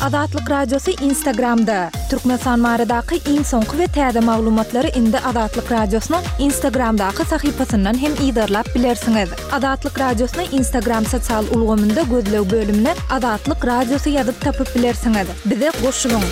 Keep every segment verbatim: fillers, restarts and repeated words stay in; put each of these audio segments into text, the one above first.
Azatlyk Radiosy Instagramda! Türkmenistan baradaky iň soňky we täze maglumatlary indi Azatlyk Radiosynyň Instagramdaky sahypasyndan hem yzarlap bilersiňiz. Azatlyk Radiosyny Instagram sosial ulgamynda gözleg bölümine Azatlyk Radiosy ýazyp tapyp bilersiňiz. Bize goşulyň!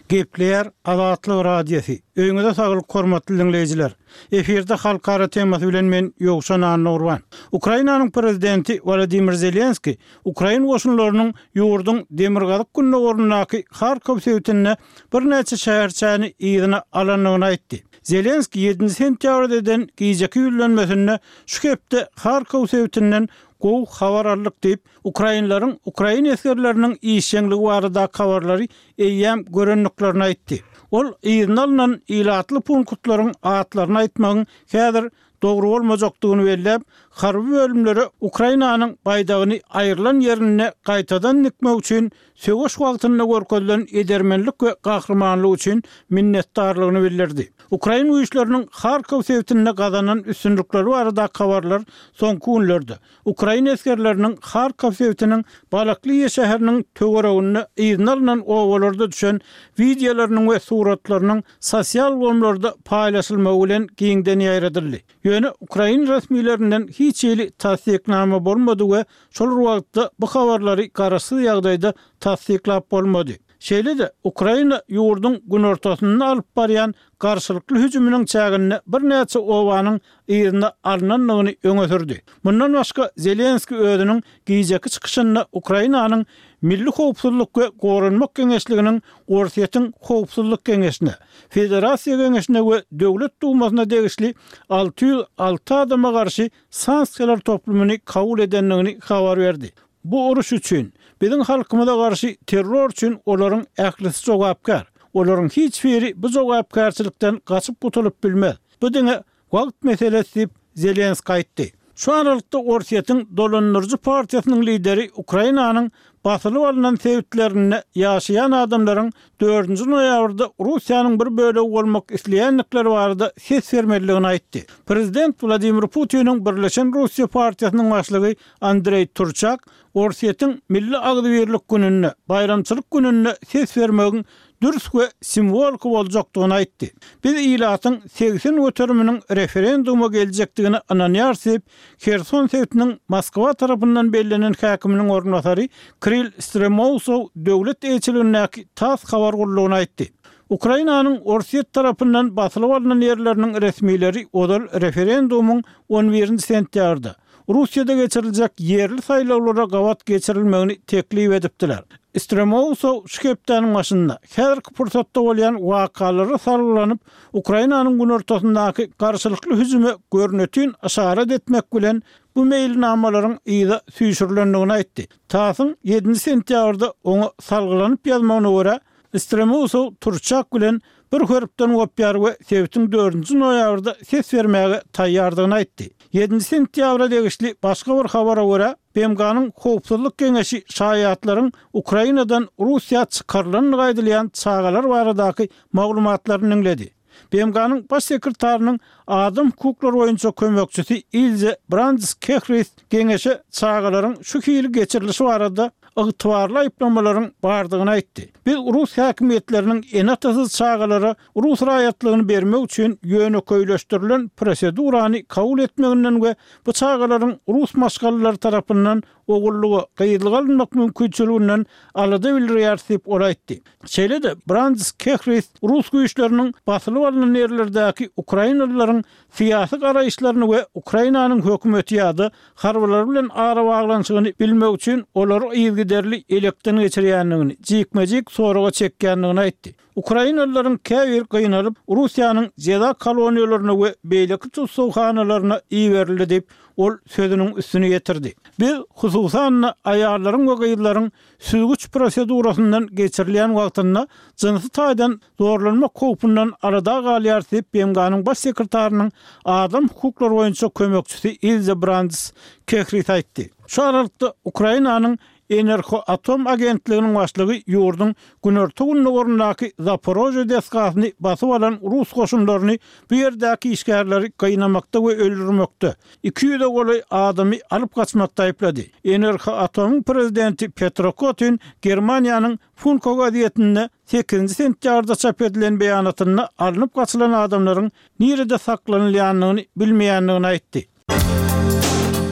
Gepleýär Azatlyk Radiosy. Öýüňize saglyk hormatly diňleýjiler. Efirde halkara temasy bilen men Ýowşan Annagurban. Ukrainanyň prezidenti Wladimir Zelenski ukrain goşunlarynyň ýurduň demirgazyk gündogaryndaky Harkow sebitinde birnäçe şäherçäni yzyna alandygyny aýtdy. Zelenski ýedinji sentýabrda eden gijeki ýüzlenmesinde şu hepde Harkow sebitinden gowy habar aldyk diýip, ukrainleriň ukrain esgerleriniň işjeňligi baradaky habarlary eýýäm görendiklerini aýtdy. Ol yzyna alnan ilatly punktlaryň atlaryny aýtmagyň häzir dogry bolmajakdygyny belläp, harby bölümlere Ukrainanyň baýdagyny aýrylan ýerinde gaýtadan dikmek üçin söweş wagtynda görkezilen edermenlik we gahrymanlyk üçin minnetdarlygyny bildirdi. Ukrain güýçleriniň Harkow sebitinde gazanan üstünlikleri baradaky habarlar soňky günlerde ukrain esgerleriniň Harkow sebitiniň Balakliýa şäheriniň töwereginde yzyna alnan obalarda düşen wideolarynyň we suratlarynyň sosial ulgamlarda paýlaşylmagy bilen giňden ýaýradyldy. Ýöne ukrain resmilerinden hiç hili tassyknama bolmady we şol bir wagtda bu habarlary garaşsyz ýagdaýda tassyklap bolmady. Şeýle-de, Ukraina ýurduň günortasynda alyp barýan garşylykly hüjüminiň çäginde birnäçe obanyň yzyna alnandygyny öňe sürdi. Mundan başga, Zelenskiý özüniň gijeki çykyşynda Ukrainanyň Milli howpsuzlyk we goranmak geňeşliginiň Orsýetiň Howpsuzlyk geňeşine, Federasiýa Geňeşine we Döwlet Dumasyna degişli alty ýüz alty adama garşy sanksiýalar toplumyny kabul edendigini habar berdi. Bu uruş üçin, biziň halkymyza garşy terror üçin olaryň ählisi jogapkär. Olaryň hiç biri bu jogapkärçilikden gaçyp gutulyp bilmez. Bu diňe wagt meselesi diýip, Zelenskiý aýtdy. Şu aralykda Orsýetiň dolandyryjy partiýasynyň lideri Ukrainanyň basylyp alnan sebitlerinde ýaşaýan adamlaryň dördünji noýabrda Russiýanyň bir bölegi bolmak isleýändikleri barada ses bermelidigini aýtdy. Prezident Wladimir Putiniň Birleşen Russiýa partiýasynyň başlygy Andreý Turçak Orsýetiň Milli agzybirlik gününde, baýramçylyk gününde ses bermegiň dürs we simwoliki boljakdygyny aýtdy. Biz ilatyň segsen göteriminiň referenduma geljekdigine ynanýarys diýip, Herson sebitiniň Moskwa tarapyndan bellenen häkiminiň orunbasary Kirill Stremousow döwlet eýeçiligindäki tass habar gullugyna aýtdy. Ukrainanyň Orsýet tarapyndan basylyp alnan ýerleriniň resmileri ozal referendumyň on birinji sentýabrda, Russiýada geçiriljek ýerli saýlawlara gabat geçirilmegini teklip edipdiler. Stremousow şu hepdäniň başynda, häzirki pursatda bolýan wakalara salgylanyp, Ukrainanyň günortasyndaky garşylykly hüjüme görnetin yşarat etmek bilen, bu meýilnamalaryň yza süýşürilendigini aýtdy. TASS-yň ýedinji sentýabrda oňa salgylanyp ýazmagyna görä, Stremousow Turçak bilen bir hörpden gopýar we sebitiň dördünji noýabrda ses bermäge taýýardygyny aýtdy. Ýedinji sentýabra degişli başga bir habara görä, B M G-nyň Howpsuzlyk Geňeşi şaýatlaryň Ukrainadan Russiýa çykarylandygy aýdylýan çagalar baradaky maglumatlaryny diňledi. B M G-nyň Baş sekretarynyň adam hukuklary boýunça kömekçisi Ilze Brandis Kehris geňeşe çagalaryň şu hili geçirilişi barada ygtybarly aýyplamalaryň bardygyny aýtdy. Biz rus häkimiýetleriniň ene-atasyz çagalara rus raýatlygyny bermek üçin ýönekeýleşdirilen prosedurany kabul etmeginden we bu çagalaryň rus maşgalalary tarapyndan ogullyga, gyzlyga alynmak mümkinçiliginden alada bildirýäris diýip, ol aýtdy. Şeýle-de, Brandis Kehris rus güýçleriniň basylyp alnan ýerlerdäki ukrainalylaryň syýasy garaýyşlaryny we Ukrainanyň hökümeti ýa-da harbylary bilen arabaglanyşygyny bilmek üçin olary yzygiderli elekden geçirýändigini, jikme-jik soraga çekýändigini aýtdy. Ukrainalylaryň käbiri gynalyp, Russiýanyň jeza koloniýalaryna we beýleki tussaghanalaryna iberildi diýip, ol sözüniň üstüni ýetirdi. Biz, hususan-da, aýallaryň we gyzlaryň süzgüç prosedurasyndan geçirilýän wagtynda jynsy taýdan zorlanmak howpundan alada galýarys diýip, B M G-nyň Baş sekretarynyň adam hukuklary boýunça kömekçisi Ilze Brandis Kehris aýtdy. Şu aralykda, Ukrainanyň Enerhoatom agentliginiň başlygy ýurduň günorta-gündogaryndaky Zaporožýe desgasyny basyp alan rus goşunlaryny bu ýerdäki işgärleri gynamakda we öldürmekde, iki ýüze golaý adamy alyp gaçmakda aýyplady. Enerhoatomyň prezidenti Petro Kotin Germaniýanyň Funko gazetinde sekizinji sentýabrda çap edilen beýanatynda alnyp gaçylan adamlaryň nirede saklanylýandygyny bilmeýändigini aýtdy.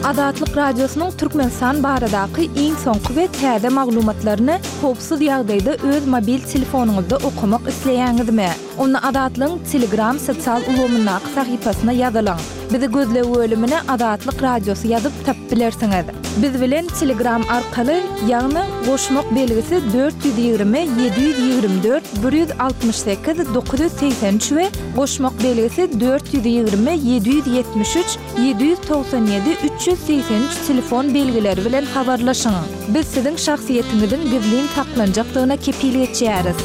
Azatlyk Radiosynyň Türkmenistan baradaky iň soňky we täze maglumatlaryny howpsuz ýagdaýda öz mobil telefonyňyzda okamak isleýäňizmi? Onda Azatlygyň Telegram sosial ulgamyndaky sahypasyna ýazylyň. Bizi gözleg bölümine Azatlyk Radiosy ýazyp tapyp bilersiňiz. Biz bilen Telegram arkaly, ýagny goşmak belgisi dört ýüz ýigrimi ýedi ýüz ýigrimi dört bir ýüz altmyş sekiz dokuz ýüz segsen üç we goşmak belgisi dört ýüz ýigrimi ýedi ýüz ýetmiş üç ýedi ýüz togsan ýedi üç ýüz segsen üç telefon belgileri bilen habarlaşyň. Biz siziň şahsyýetiňiziň gizlin saklanjakdygyna kepil geçýäris.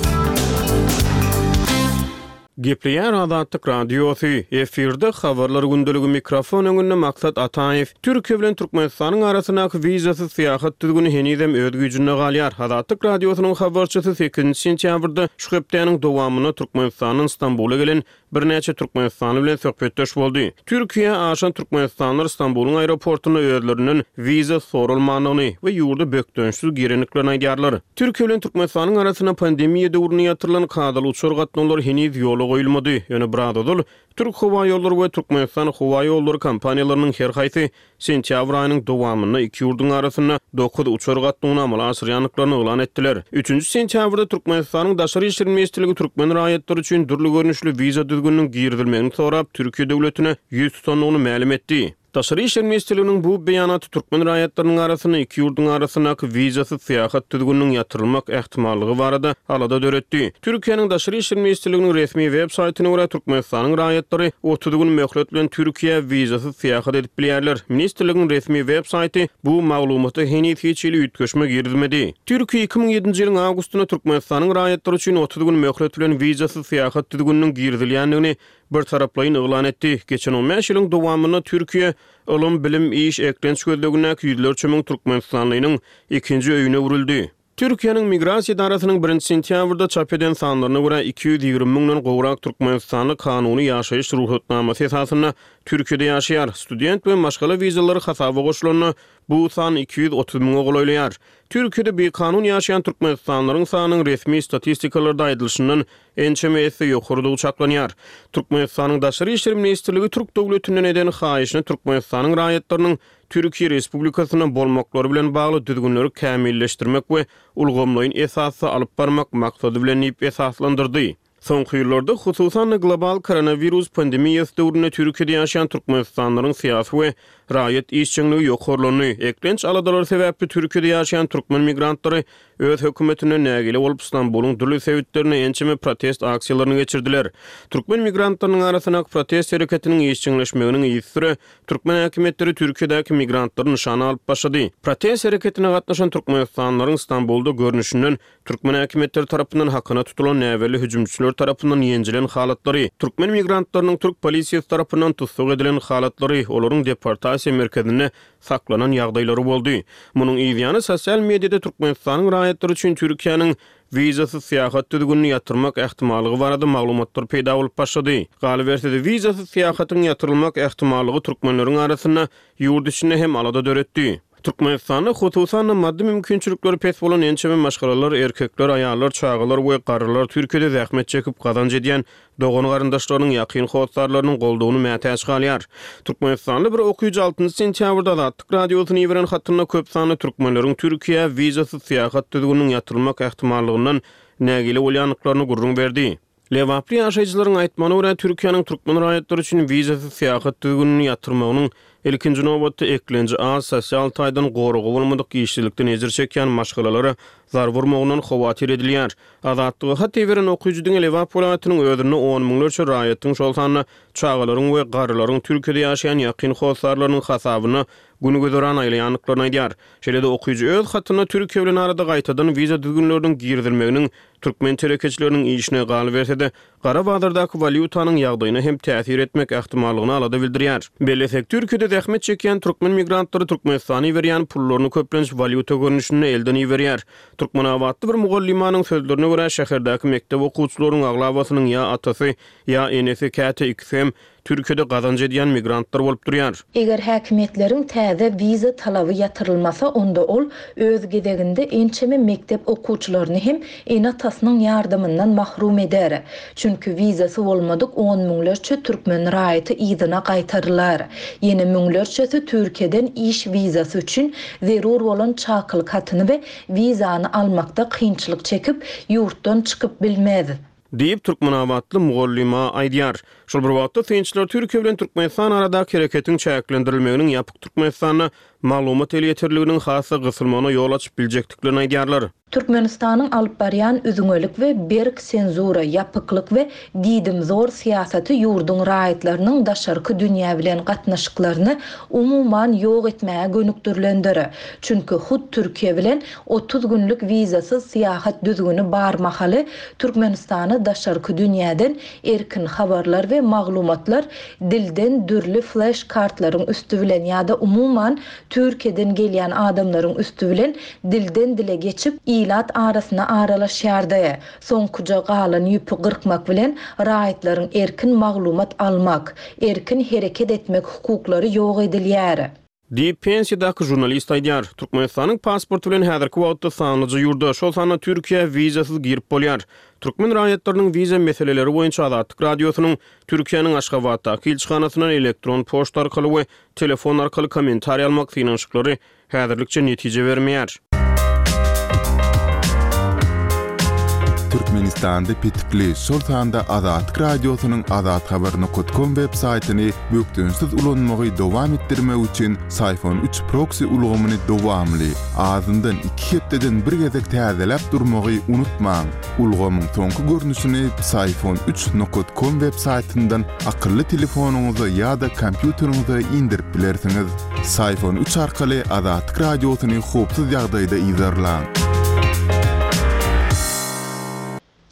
Gepleýär Azatlyk Radiosy, efirde Habarlar gündeligi, mikrofon öňünde Maksat Ataýew. Türkiýe bilen Türkmenistanyň arasyndaky wizasyz syýahat düzgüni henizem öz güýjünde galýar. Azatlyk Radiosynyň habarçysy sekizinji sentýabrda şu hepdäniň dowamynda Türkmenistandan Stambula gelen birnäçe türkmenistanly bilen söhbetdeş boldy. Türkiýä aşan türkmenistanlylar Stambulyň aeroportunda özlerinden wiza soralmandygyny we ýurda bökdençsiz girendiklerini aýdýarlar. Türkiýe bilen Türkmenistanyň arasynda pandemiýa döwründe ýatyrylan kadaly uçar gatnawlary heniz ýola goýulmady. Ýöne biraz ozal Türk howaýollary we Türkmenistan howaýollary kompaniýalarynyň her haýsy sentýabr aýynyň dowamynda iki ýurduň arasynda dokuz uçar gatnawyny amala aşyrýandyklaryny yglan etdiler. Üçünji sentýabrda Türkmenistanyň Daşary işler ministrligi türkmen raýatlary üçin dürli görnüşli wiza düzgüniniň girizilmegini sorap Türkiýe döwletine ýüz tutandygyny mälim etdi. Daşary işler ministrliginiň bu beýanaty türkmen raýatlarynyň arasynda iki ýurduň arasyndaky wizasyz syýahat düzgüniniň ýatyrylmak ähtimallygy barada alada döretdi. Türkiýäniň Daşary işler ministrliginiň resmi web saýtyna görä Türkmenistanyň raýatlary otuz gün möhlet bilen Türkiýä wizasyz syýahat edip bilýärler. Ministrligiň resmi web saýty bu maglumata heniz hiç hili üýtgeşme girizmedi. Türkiýe iki müň ýedinji ýylyň awgustynda Türkmenistanyň raýatlary üçin otuz gün möhlet bilen wizasyz syýahat düzgüniniň girizilýändigini birtaraplaýyn yglan etdi. Geçen on bäş ýylyň dowamynda Türkiýe ylym, bilim, iş, eklenç gözlegindäki ýüzlerçe müň türkmenistanlynyň ikinji öýüne öwrüldi. Türkiýäniň Migrasiýa edarasynyň birinji sentýabrda çap eden sanlaryna görä iki ýüz ýigrimi müňden gowrak türkmenistanly kanuny ýaşaýyş rugsatnamasy esasynda Türkiýede ýaşaýar. Student we maşgala wizalary hasaba goşulanda bu san iki ýüz otuz müňe golaýlaýar. Türkiýede bikanun ýaşaýan türkmenistanlylaryň sanynyň resmi statistikalarda aýdylyşyndan ençeme esse ýokarydygy çaklanýar. Türkmenistanyň Daşary işler ministrligi Türk döwletinden eden haýyşyny Türkmenistanyň raýatlarynyň Türkiýe Respublikasynda bolmaklary bilen bagly düzgünleri kämilleşdirmek we ulgamlaýyn esasda alyp barmak maksady bilen diýip esaslandyrdy. Soňky ýyllarda, hususan-da global koronawirus pandemiýasy döwründe Türkiýede ýaşaýan türkmenistanlylaryň syýasy we raýat işjeňligi ýokarlandy. Eklenç aladalary sebäpli Türkiýede ýaşaýan türkmen migrantlary öz hökümetinden nägile bolup Stambulyň dürli sebitlerinde ençeme protest aksiýalaryny geçirdiler. Türkmen migrantlarynyň arasyndaky protest hereketiniň işjeňleşmeginiň yzysüre türkmen häkimiýetleri Türkiýedäki migrantlary nyşana alyp başlady. Protest hereketine gatnaşan türkmenistanlylaryň Stambulda görnüşinden türkmen häkimiýetleri tarapyndan hakyna tutulan näbelli hüjümçiler tarapyndan ýenjilen halatlary, türkmen migrantlarynyň türk polisiýasy tarapyndan tussag edilen halatlary, olaryň deportasiýa merkezinde saklanan ýagdaýlary boldy. Munuň yzýany sosial mediada Türkmenistanyň raýatlary üçin Türkiýäniň wizasyz syýahat düzgünini ýatyrmak ähtimallygy barada maglumatlar peýda bolup başlady. Galyberse-de wizasyz syýahatyň ýatyrylmak ähtimallygy türkmenleriň arasynda ýurt içinde hem alada döretdi. Türkmenistanda hususan-da maddy mümkinçilikleri pes bolan ençeme maşgalalar, erkekler, aýallar, çagalar we garrylar Türkiýede zähmet çekip gazanç edýän dogan garyndaşlarynyň, ýakyn hossarlarynyň goldawyny mätäç galýar. Türkmenistanly bir okyjy altynjy sentýabrda Azatlyk Radiosyna iberen hatynda köp sanly türkmenleriň Türkiýä wizasyz syýahat düzgüniniň ýatyrylmak ähtimallygyndan nägile bolýandyklaryny gürrüň berdi. Lebaply ýaşaýjylaryň aýtmagyna görä, Türkiýäniň türkmen raýatlary üçin wizasyz syýahat düzgünini ýatyrmagynyň ilkinji nobatda eklenji az, sosial taýdan goragy bolmadyk işsizlikden ejir çekýän maşgalalara zarba urmagyndan howatyr edilýär. Azatlyga hat iberen okyjy diňe Lebap welaýatynyň özünde on müňlerçe raýatyň, şol sanda çagalaryň we garrylaryň Türkiýede ýaşaýan ýakyn hossarlarynyň hasabyna gün güzeran aýlaýandyklaryny aýdýar. Şeýle-de okyjy öz hatynda Türkiýe bilen arada gaýtadan wiza düzgünleriniň girizilmeginiň türkmen telekeçileriniň işine, galyberse-de, gara bazardaky walýutanyň ýagdaýyna hem täsir etmek ähtimallygyna alada bildirýär. Bellesek, Türkiýede zähmet çekýän türkmen migrantlary Türkmenistana iberýän pullaryny köplenç walýuta görnüşinde elden iberýär. Türkmenabatly bir mugallymanyň sözlerine görä, şäherdäki mekdep okuwçylarynyň aglabasynyň ýa atasy, ýa enesi, käte ikisi hem Türkiýede gazanç edýän migrantlar bolup durýar. Eger häkimiýetleriň täze wiza talaby ýatyrylmasa, onda ol öz gezeginde ençeme mekdep okuwçylaryny hem ene-atasynyň ýardamyndan mahrum eder. Çünki wizasy bolmadyk on müňlerçe türkmen raýaty yzyna gaýtarylar. Ýene müňlerçesi Türkiýeden iş wizasy üçin zerur bolan çakylyk hatyny we wizany almakda kynçylyk çekip, ýurtdan çykyp bilmez. Diýip, türkmenabatly mugallyma aýdýar. Şol bir wagtda, synçylar Türkiýe bilen Türkmenistan aradaky hereketiň çäklendirilmeginiň ýapyk Türkmenistanda maglumat elýeterliliginiň has-da gysylmagyna ýol açyp biljekdiklerini aýdýarlar. Türkmenistanyň alyp barýan üzňelik we berk senzura, ýapyklyk we diýdimzor syýasaty ýurduň raýatlarynyň daşarky dünýä bilen gatnaşyklaryny umuman ýok etmäge gönükdirilendir. Çünki hut Türkiýe bilen otuz günlük wizasyz syýahat düzgüni bar mahaly Türkmenistana daşarky dünýäden erkin habarlar we maglumatlar dilden dürli flash kartlaryň üsti bilen ýa-da umuman Türkiýeden gelýän adamlaryň üsti bilen dilden dile geçip ilat arasyna aralaşýardy. Soňkuja galan ýüpi gyrkmak bilen raýatlaryň erkin maglumat almak, erkin hereket etmek hukuklary ýok edilýär. Diýip, pensiýadaky žurnalist aýdýar. Türkmenistanyň pasporty bilen häzirki wagtda sanlyja ýurda, şol sanda Türkiýä wizasyz girip bolýar. Türkmen raýatlarynyň wiza meseleleri boýunça Azatlyk Radiosynyň Türkiýäniň Aşgabatdaky ilçihanasyndan elektron poçta arkaly we telefon arkaly kommentariý almak synanyşyklary häzirlikçe netije bermeýär. Türkmenistanda petikli, şol sanda Azatlyk Radiosynyň azathabar nokat kom web saýtyny bökdençsiz ulanmagy dowam etdirmek üçin Syfon üç proksi ulgamyny dowamly, azyndan iki hepdeden bir gezek täzeläp durmagy unutmaň. Ulgamyň soňky görnüşini Syfon üç nokat kom web saýtyndan akylly telefonyňyza ýa-da kompýuteriňize indirip bilersiňiz. Syfon üç arkaly Azatlyk Radiosyny howpsuz ýagdaýda yzarlaň.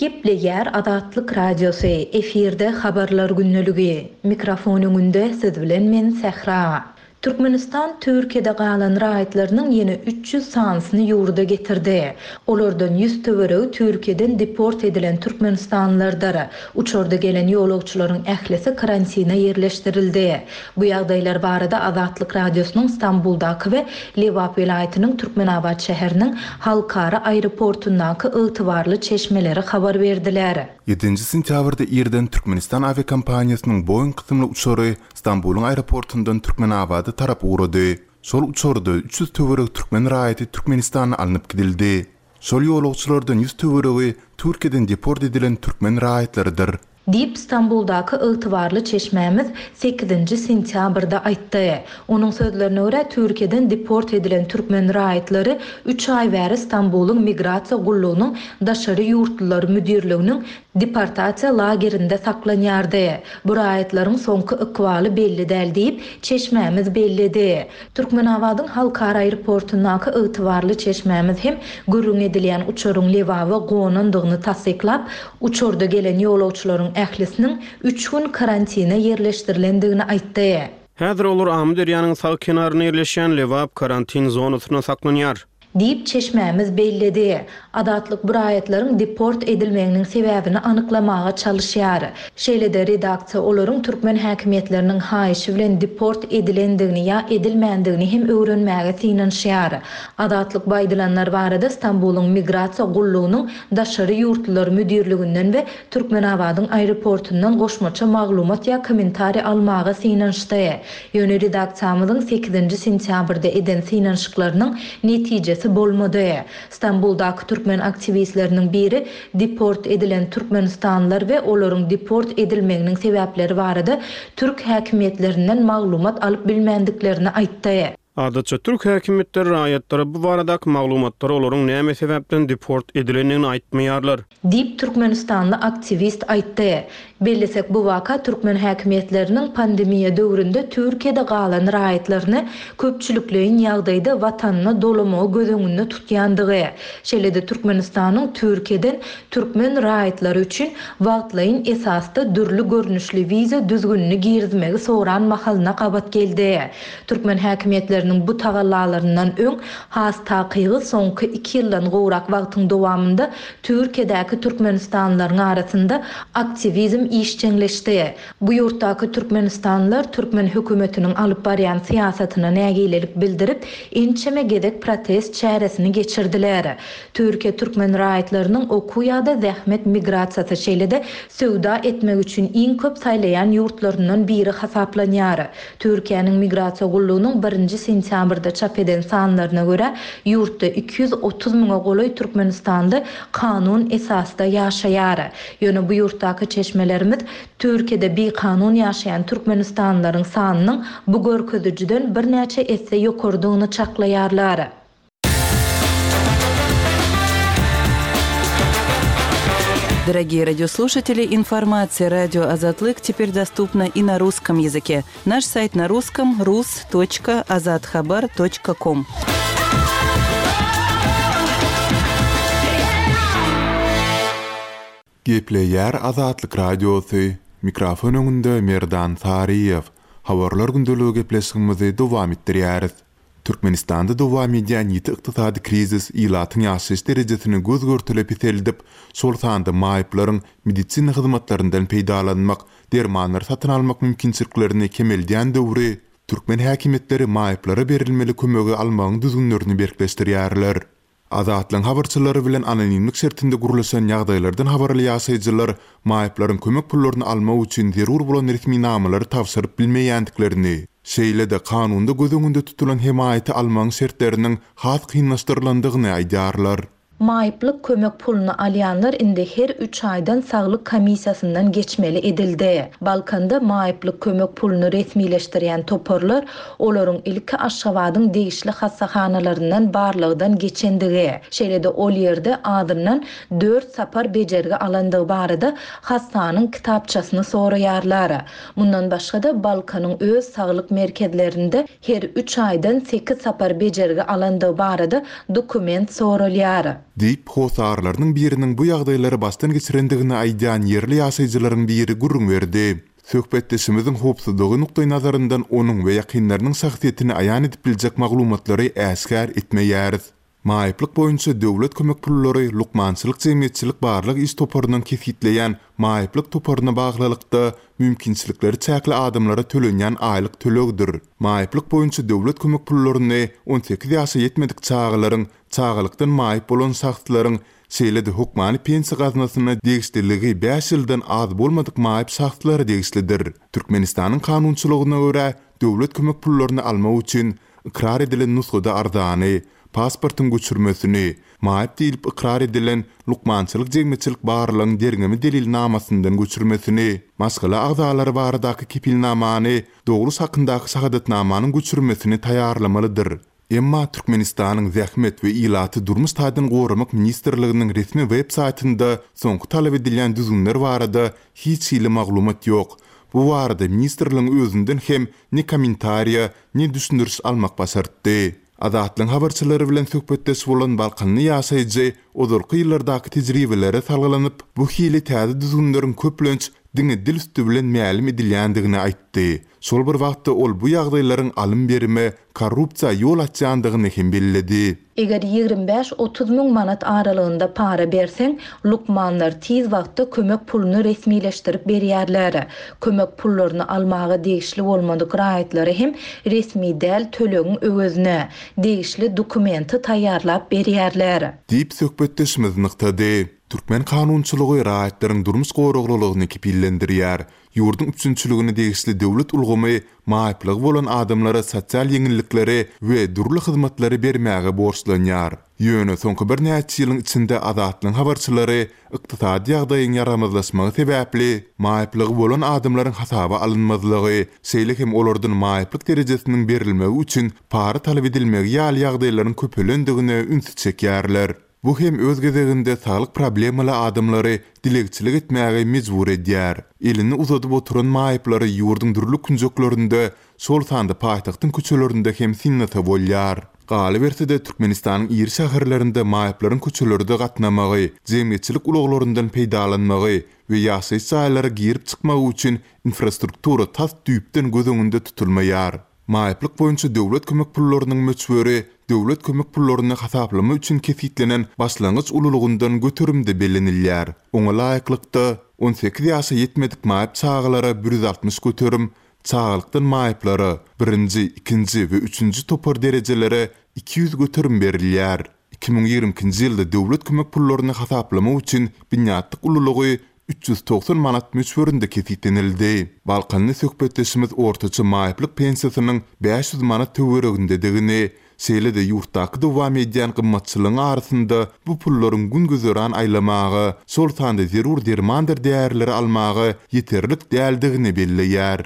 Gepleýär Azatlyk Radiosy, efirde habarlar gündeligi. Mikrofon öňünde siz bilen men Sähra. Türkmenistan Türkiýede galan raýatlarynyň ýene üç ýüz sanysyny ýurda getirdi. Olardan ýüz töweregi Türkiýeden deport edilen türkmenistanlylardyr. Uçarda gelen ýolagçylaryň ählisi karantina ýerleşdirildi. Bu ýagdaýlar barada Azatlyk Radiosynyň Stambuldaky we Lebap welaýatynyň Türkmenabat şäheriniň halkara aeroportundaky ygtybarly çeşmeleri habar berdiler. Ýedinji sentýabrda irden Türkmenistan awiakompaniýasynyň Boeing kysymly uçary Stambulyň aeroportundan Türkmenabada tarap ugrady. Şol uçarda üç ýüz töweregi türkmen raýaty Türkmenistana alnyp gidildi. Şol ýolagçylardan ýüz töweregi Türkiýeden deport edilen türkmen raýatlarydyr. Diýip, Stambuldaky ygtybarly çeşmämiz sekizinji sentýabrda aýtdy. Onuň sözlerine görä, Türkiýeden deport edilen türkmen raýatlary üç aý bäri Stambulyň migrasiýa gullugynyň daşary ýurtlular müdirliginiň deportasiýa lagerinde saklanýardy. Bu raýatlaryň soňky ykbaly belli däl diýip, çeşmämiz belledi. Türkmenabadyň halkara aeroportundaky ygtybarly çeşmämiz hem gürrüň edilýän uçaryň Lebaba gonandygyny tassyklap, uçarda gelen ýolagçylaryň ählisiniň üç gün karantina ýerleşdirilendigini aýtdy. Häzir olar Amyderýanyň sag kenarynda ýerleşýän Lebap karantin zonasynda saklanýar. Diýip, çeşmämiz belledi. Azatlyk bu raýatlaryň deport edilmeginiň sebäbini anyklamaga çalyşýar. Şeýle-de redaksiýa olaryň türkmen häkimiýetleriniň haýyşy bilen deport edilendigini ýa edilmändigini hem öwrenmäge synanyşýar. Azatlyk bu aýdylanlar barada Stambulyň migrasiýa gullugynyň daşary ýurtlular müdirliginden we Türkmenabadyň aeroportundan goşmaça maglumat ýa kommentariý almaga synanyşdy. Ýöne redaksiýamyzyň sekizinji sentýabrda eden synanyşyklarynyň netijesi bolmady. Stambuldaky türkmen aktiwistleriniň biri deport edilen türkmenistanlylar we olaryň deport edilmeginiň sebäpleri barada türk häkimiýetlerinden maglumat alyp bilmändiklerini aýtdy. Adatça türk häkimiýetleri raýatlara bu baradaky maglumatlary olaryň näme sebäpden deport edilendigini aýtmaýarlar. Diýip, türkmenistanly aktiwist aýtdy. Bellesek, bu waka türkmen häkimiýetleriniň pandemiýa döwründe Türkiýede galan raýatlaryny köpçülikleýin ýagdaýda watanyna dolamagy göz öňünde tutýandygy, şeýle-de Türkmenistanyň Türkiýeden türkmen raýatlary üçin wagtlaýyn esasda dürli görnüşli wiza düzgünini girizmegi soran mahalyna gabat geldi. Türkmen häkimiýetleriniň bu tagallalaryndan öň, has takygy soňky iki ýyldan gowrak wagtyň dowamynda Türkiýedäki türkmenistanlylaryň arasynda aktiwizm işjeňleşdi. Bu ýurtdaky türkmenistanlylar türkmen hökümetiniň alyp barýan syýasatyna nägilelik bildirip, ençeme gezek protest çäresini geçirdiler. Türkiýe türkmen raýatlarynyň okuw ýa-da zähmet migrasiýasy, şeýle-de söwda etmek üçin iň köp saýlaýan ýurtlaryndan biri hasaplanýar. Türkiýäniň Migrasiýa gullugynyň birinji sentýabrda çap eden sanlaryna görä, ýurtda iki ýüz otuz müňe golaý türkmenistanly kanun esasda ýaşaýar. Ýöne bu ýurtdaky çeşmelerimiz Türkiýede bikanun ýaşaýan türkmenistanlylaryň sanynyň bu görkezijiden birnäçe esse ýokarydygyny çaklaýarlar. Дорогие радиослушатели, информация радио Азатлык теперь доступна и на русском языке. Наш сайт на русском rus точка azathabar точка ком. Gepleýär Azatlyk Radiosy. Mikrofon öňünde Merdan Saryýew. Habarlar gündeligi gepleşigimizi dowam etdirýäris. Türkmenistanda dowam edýän ýiti ykdysady krizis ilatyň ýaşaýyş derejesini göz görtele peseldip, şol sanda maýyplaryň medisina hyzmatlaryndan peýdalanmak, dermanlary satyn almak mümkinçiliklerini kemeldýän döwri türkmen häkimiýetleri maýyplara berilmeli kömegi almagyň düzgünlerini berkleşdirýärler. Azatlygyň habarçylary bilen anonimlik şertinde gurluşan ýagdaýlardan habarly ýaşaýjylar maýyplaryň kömek pullaryny almak üçin zerur bolan resminamalary tabşyryp bilmeýändiklerini, şeýle-de kanunda göz öňünde tutulan hemaýaty almagyň şertleriniň has kynlaşdyrylandygyny aýdýarlar. Maýyplyk kömek puluny alýanlar indi her üç aýdan saglyk komissiýasyndan geçmeli edildi. Balkanda maýyplyk kömek puluny resmileşdirýän toparlar olaryň ilki Aşgabadyň degişli hassahanalaryndan barlagdan geçendigi, şeýle-de ol ýerde adyndan dört sapar bejergi alandygy barada hassanyň kitapçasyny soraýarlar. Mundan başga-da Balkanyň öz saglyk merkezlerinde her üç aýdan sekiz sapar bejergi alandygy barada dokument soralýar. Diýip, hosarlarynyň biriniň bu ýagdaýlary başdan geçirendigini aýdýan ýerli ýaşaýjylaryň biri gürrüň berdi. Söhbetdeşimiziň howpsuzlygy nukdaý nazaryndan onuň we ýakynlarynyň şahsyýetini aýan edip biljek maglumatlary äşgär etmeýäris. Maýyplyk boýunça döwlet kömek pullary lukmançylyk jemgyýetçilik barlyk iş toparynyň kesgitleýän maýyplyk toparyna baglylykda mümkinçilikleri çäkli adamlara tölenýän aýlyk tölegdir. Maýyplyk boýunça döwlet kömek pullaryny on sekiz ýaşa ýetmedik çagalaryň, çagalykdan maýyp bolan şahslaryň, şeýle-de hökmany pensiýa gaznasyna degişliligi bäş ýyldan az bolmadyk maýyp şahslara degişlidir. Türkmenistanyň kanunçylygyna görä döwlet kömek pullaryny almak üçin ykrar edilen nusgada arzany, pasportyň göçürmesini, maýyp diýlip ykrar edilen lukmançylyk jemgyýetçilik barlygyň derňemi delilnamasyndan göçürmesini, maşgala agzalary baradaky kepilnamany, dogruş hakyndaky şahadatnamanyň göçürmesini taýýarlamalydyr. Emma Türkmenistanyň Zähmet we ilaty durmuş taýdan goramak ministrliginiň resmi web saýtynda soňky talap edilýän düzgünler barada hiç hili maglumat ýok. Bu barada ministrligiň özünden hem ne kommentariýa, ne düşündiriş almak başartdy. Azatlygyň habarçylary bilen söhbetdeş bolan Balkanly ýaşaýjy ozalky ýyllardaky tejribelere salgylanyp, bu hili täze düzgünleriň köplenç diňe dil üstü bilen mälim edilýändigini aýtdy. Şol bir wagtda ol bu ýagdaýlaryň alym berime, korrupsiýa ýol açýandygyny hem belledi. Eger ýigrimi bäş otuz müň manat aralygynda para berseň, lukmanlar tiz wagtda kömek puluny resmileşdirip berýärler. Kömek pullaryny almaga degişli bolmadyk raýatlary hem resmi däl tölegiň öwezine degişli dokumenti taýýarlap berýärler. Diýip söhbetdeşimiz nygtady. Türkmen kanunçylygy raýatlaryň durmuş goraglylygyny kepillendirýär. Ýurduň üpjünçiligine degişli döwlet ulgamy maýyplygy bolan adamlara sosial ýeňillikleri we dürli hyzmatlary bermäge borçlanýar. Ýöne soňky birnäçe ýylyň içinde Azatlygyň habarçylary ykdysady ýagdaýyň ýaramazlaşmagy sebäpli maýyplygy bolan adamlaryň hasaba alynmazlygy, şeýle hem olardan maýyplyk derejesiniň berilmegi üçin para talap edilmegi ýaly ýagdaýlaryň köpelendigine ünsi çekýärler. Bu hem öz gezeginde saglyk problemaly adamlary dilegçilik etmäge mejbur edýär. Elini uzadyp oturan maýyplary ýurduň dürli künjeklerinde, şol sanda paýtagtyň köçelerinde hem synlasa bolýar. Galyberse-de, Türkmenistanyň iri şäherlerinde maýyplaryň köçelerde gatnamagy, jemgyýetçilik ulaglaryndan peýdalanmagy we ýaşaýyş jaýlara girip-çykmagy üçin infrastruktura tas düýpden göz öňünde tutulmaýar. Maýyplyk boýunça döwlet kömek pullarynyň möçberi döwlet kömek pullaryny hasaplama üçin kesgitlenen başlangyç ululygyndan göterimde bellenilýär. Oňa laýyklykda, on sekiz ýaşa ýetmedik maýyp çagalara bir ýüz altmyş göterim, çagalykdan maýyplara, birinji, ikinji we üçünji topar derejelere iki ýüz göterim berilýär. Iki müň ýigrimi ikinji ýylda döwlet kömek pullaryny hasaplamak üçin binýatlyk ululygy üç ýüz togsan manat möçberinde kesgitlenildi. Balkanly söhbetdeşimiz ortaça maýyplyk pensiýasynyň bäş ýüz manat töweregindedigini, şeýle-de ýurtdaky dowam edýän gymmatçylygyň arasynda bu pullaryň gün-güzeran aýlamaga, şol sanda zerur dermandyr därileri almaga ýeterlik däldigini belleýär.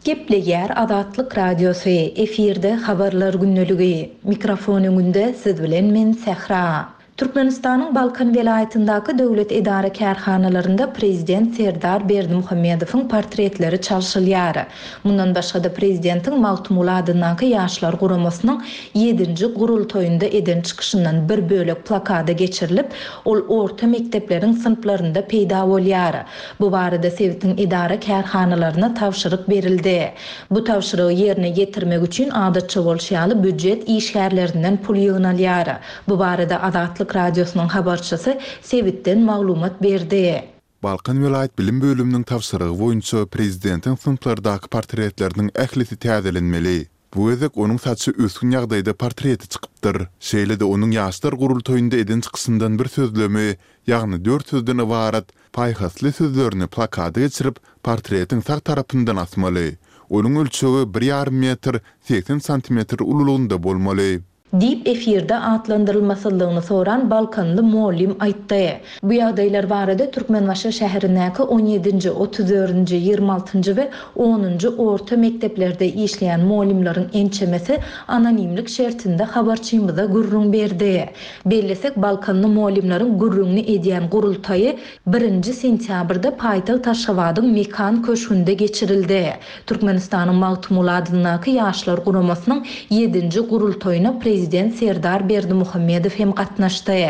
Gepleýär Azatlyk Radiosy, efirde habarlar gündeligi. Mikrofon öňünde siz bilen men Sähra. Türkmenistanyň Balkan welaýatyndaky döwlet edara kärhanalarynda prezident Serdar Berdimuhamedowyň portretleri çalşylýar. Mundan başga-da prezidentiň Magtymguly adyndaky Ýaşlar guramasynyň ýedinji gurultaýynda eden çykyşyndan bir bölek plakada geçirilip, ol orta mekdepleriň synplarynda peýda bolýar. Bu barada sebitiň edara kärhanalaryna tabşyryk berildi. Bu tabşyrygy ýerine ýetirmek üçin adatça bolşy ýaly býujet işgärlerinden pul ýygnalýar. Bu barada Azatlyk Radiosynyň habarçysy sebitden maglumat berdi. Balkan welaýat bilim bölüminiň tabşyrygy boýunça prezidentiň synplardaky portretleriniň ählisi täzelenmeli. Bu gezek onuň saçy ösgün ýagdaýda portreti çykypdyr. Şeýle-de onuň ýaşlar gurultaýynda eden çykyşyndan bir sözlemi, ýagny dört sözden ybarat paýhasly sözlerini plakada geçirip, portretiň sag tarapyndan asmaly. Onuň ölçegi bir ýarym metr segsen santimetr ululygynda bolmaly. Diýip efirde atlandyrylmasyzlygyny soran Balkanly mugallym aýtdy. Bu ýagdaýlar barada Türkmenbaşy şäherindäki on ýedinji, otuz dördünji, ýigrimi altynjy we onunjy orta mekdeplerde işleýän mugallymlaryň ençemesi anonimlik şertinde habarçymyza gürrüň berdi. Bellesek Balkanly mugallymlaryň gürrüňini edýän gurultaýy birinji sentýabrda paýtagt Aşgabadyň Mekan köşgünde geçirildi. Türkmenistanyň Magtymguly adyndaky Ýaşlar guramasynyň ýedinji gurultaýyna prezident Serdar Berdimuhamedow hem gatnaşdy.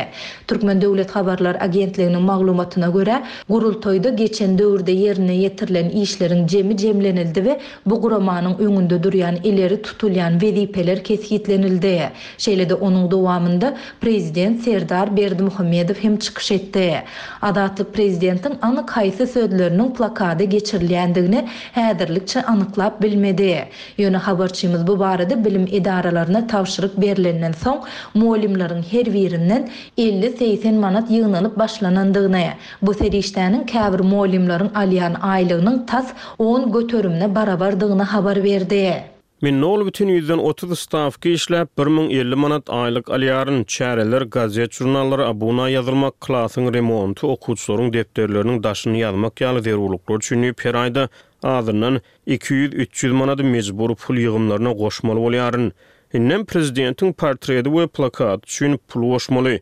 Türkmen Döwlet Habarlar Agentliginiň maglumatyna görä, gurultaýda geçen döwürde ýerine ýetirilen işleriň jemi jemlenildi we bu guramanyň öňünde durýan ileri tutulýan wezipeler kesgitlenildi. Şeýle-de onuň dowamynda prezident Serdar Berdimuhamedow hem çykyş etdi. Azatlyk prezidentiň anyk haýsy sözleriniň plakada geçirilýändigini häzirlikçe anyklap bilmedi. Ýöne habarçymyz bu barada bilim edaralaryna tabşyryk berilenden soň mugallymlaryň her birinden elli-segsen manat ýygnalyp başlanandygyny, bu serişdäniň käbir mugallymlaryň alýan aýlygynyň tas on göterimine barabardygyny habar berdi. Men nol bütün ýüzden otuz stawka işläp bir müň elli manat aýlyk alýaryn. Çäreler, gazet, jurnallara abuna ýazylmak, klasyň remonty, okuwçylaryň depderleriniň daşyny ýazmak ýaly zerurlyklar üçin diýip her aýda azyndan iki ýüz, üç ýüz manady mejbur pul ýygymlaryna goşmaly bolýaryn. Indem prezidentiň portreti we plakaty üçin pul goşmaly.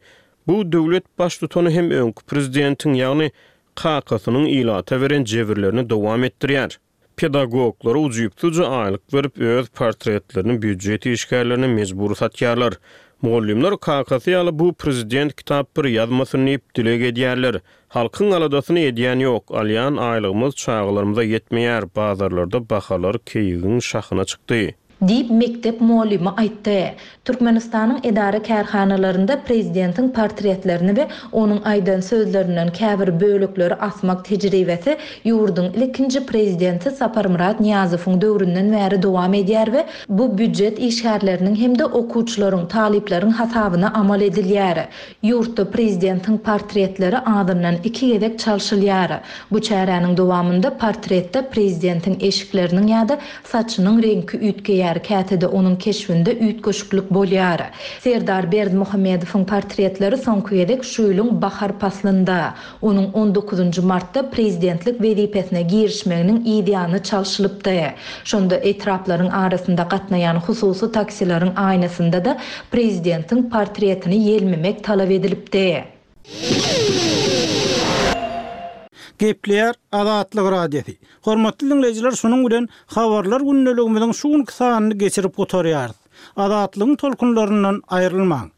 Bu döwlet baştutany hem öňki prezidentiň, ýagny kakasynyň ilata beren jebirlerini dowam etdirýär. Pedagoglara ujypsyzca aýlyk berip öz portretlerini býujet işgärlerine mejbur satýarlar. Mugallymlar kakasy ýaly bu prezident kitap bir ýazmasyn diýip dileg edýärler. Halkyň aladasyny edýän ýok, alýan aýlygymyz çagalarymyza ýetmeýär, bazarlarda bahalar keýigiň şahyna çykdy. Diýip mektep mugallymy aýtdy. Türkmenistanyň edara kärhanalarynda prezidentiň portretlerini we onuň aýdan sözlerinden käbir bölekleri asmak tejribesi ýurduň ilkinji prezidenti Saparmyrat Nyýazowyň döwründen bäri dowam edýär we bu býujet işgärleriniň hem-de okuwçylaryň, talyplaryň hasabyna amal edilýär. Ýurtda prezidentiň portretleri azyndan iki gezek çalşylýar. Bu çäräniň dowamynda portretde prezidentiň eşikleriniň ýa-da saçynyň reňki üýtgeýär. üýtgeýär, käte-de onuň keşbinde üýtgeşiklik bolýar. Serdar Berdimuhamedowyň portretleri soňky gezek şu ýylyň bahar paslynda, onuň on dokuzynjy martda prezidentlik wezipesine girişmeginiň yzýany çalşylypdy. Şonda etraplaryň arasynda gatnaýan hususy taksileriň aýnasynda-da prezidentiň portretini ýelmemek talap edilipdi. Gepleýär Azatlyk Radiosy. Hormatly diňleýjiler, şunuň bilen habarlar gündeligimiziň şu günki sanyny geçirip gutarýarys. Azatlygyň tolkunlaryndan aýrylmaň.